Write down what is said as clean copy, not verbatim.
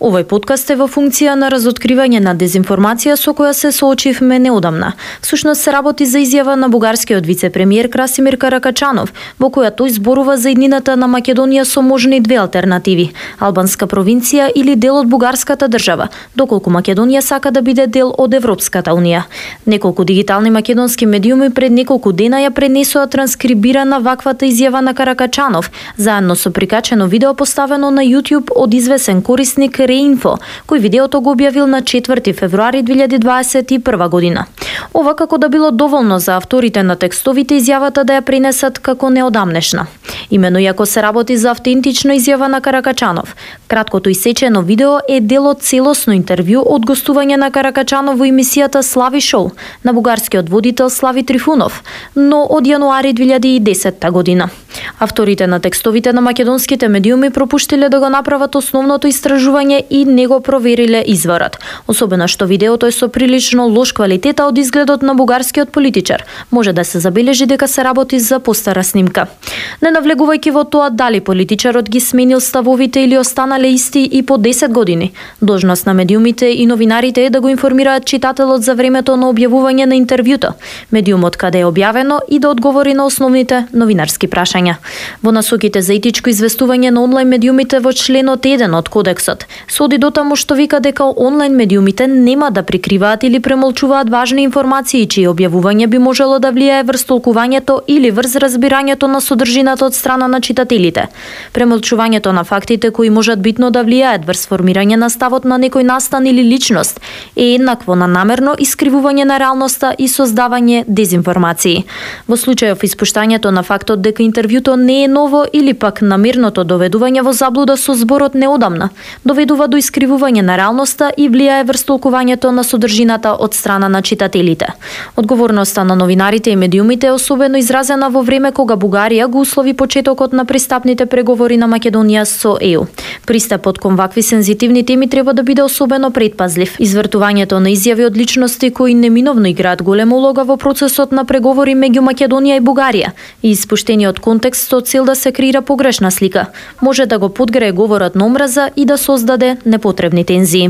Овој подкаст е во функција на разоткривање на дезинформација со која се соочивме неодамна. Всушност се работи за изјава на бугарскиот вице-премиер Красимир Каракачанов, во која тој зборува за иднината на Македонија со можни две алтернативи: албанска провинција или дел од бугарската држава, доколку Македонија сака да биде дел од Европската унија. Неколку дигитални македонски медиуми пред неколку дена ја пренесоа транскрибирана ваквата изјава на Каракачанов, заедно со прикачено видео поставено на YouTube од извесен корисник Реинфо, кој видеото го објавил на 4 февруари 2021 година. Ова како да било доволно за авторите на текстовите изјавата да ја пренесат како неодамнешна. Имено иако се работи за автентична изјава на Каракачанов, краткото исечено видео е дел од целосно интервју од гостување на Каракачанов во емисијата Слави Шоу на бугарскиот водител Слави Трифунов, но од јануари 2010 година. Авторите на текстовите на македонските медиуми пропуштиле да го направат основното истражување и не го провериле изворот. Особено што видеото е со прилично лош квалитет, од изгледот на бугарскиот политичар може да се забележи дека се работи за постара снимка. Не навлегувајќи во тоа дали политичарот ги сменил ставовите или останале исти и по 10 години, должност на медиумите и новинарите е да го информираат читателот за времето на објавување на интервјуто, медиумот каде е објавено и да одговори на основните новинарски прашања. Во насоките за етичко известување на онлайн медиумите во членот 1 од кодексот се оди дотаму што вика дека онлайн медиумите нема да прикриваат или премолчуваат важни информации чие објавување би можело да влијае врз толкувањето или врз разбирањето на содржината од страна на читателите. Премолчувањето на фактите кои можат битно да влијаат врз формирање на ставот на некој настан или личност е еднакво на намерно искривување на реалноста и создавање дезинформации. Во случајов испуштањето на фактот дека интервјуто не е ново или пак намерното доведување во заблуда со зборот неодамна, доведува до искривување на реалноста и влијае врз толкувањето на содржината од страна на читателите. Одговорноста на новинарите и медиумите е особено изразена во време кога Бугарија го услови почетокот на пристапните преговори на Македонија со ЕУ. Пристапот кон вакви сензитивни теми треба да биде особено предпазлив. Извртувањето на изјави од личности кои неминовно играат голема улога во процесот на преговори меѓу Македонија и Бугарија и испуштени од контекст со цел да се креира погрешна слика, може да го подгрее говорот на омраза и да создаде непотребни тензии.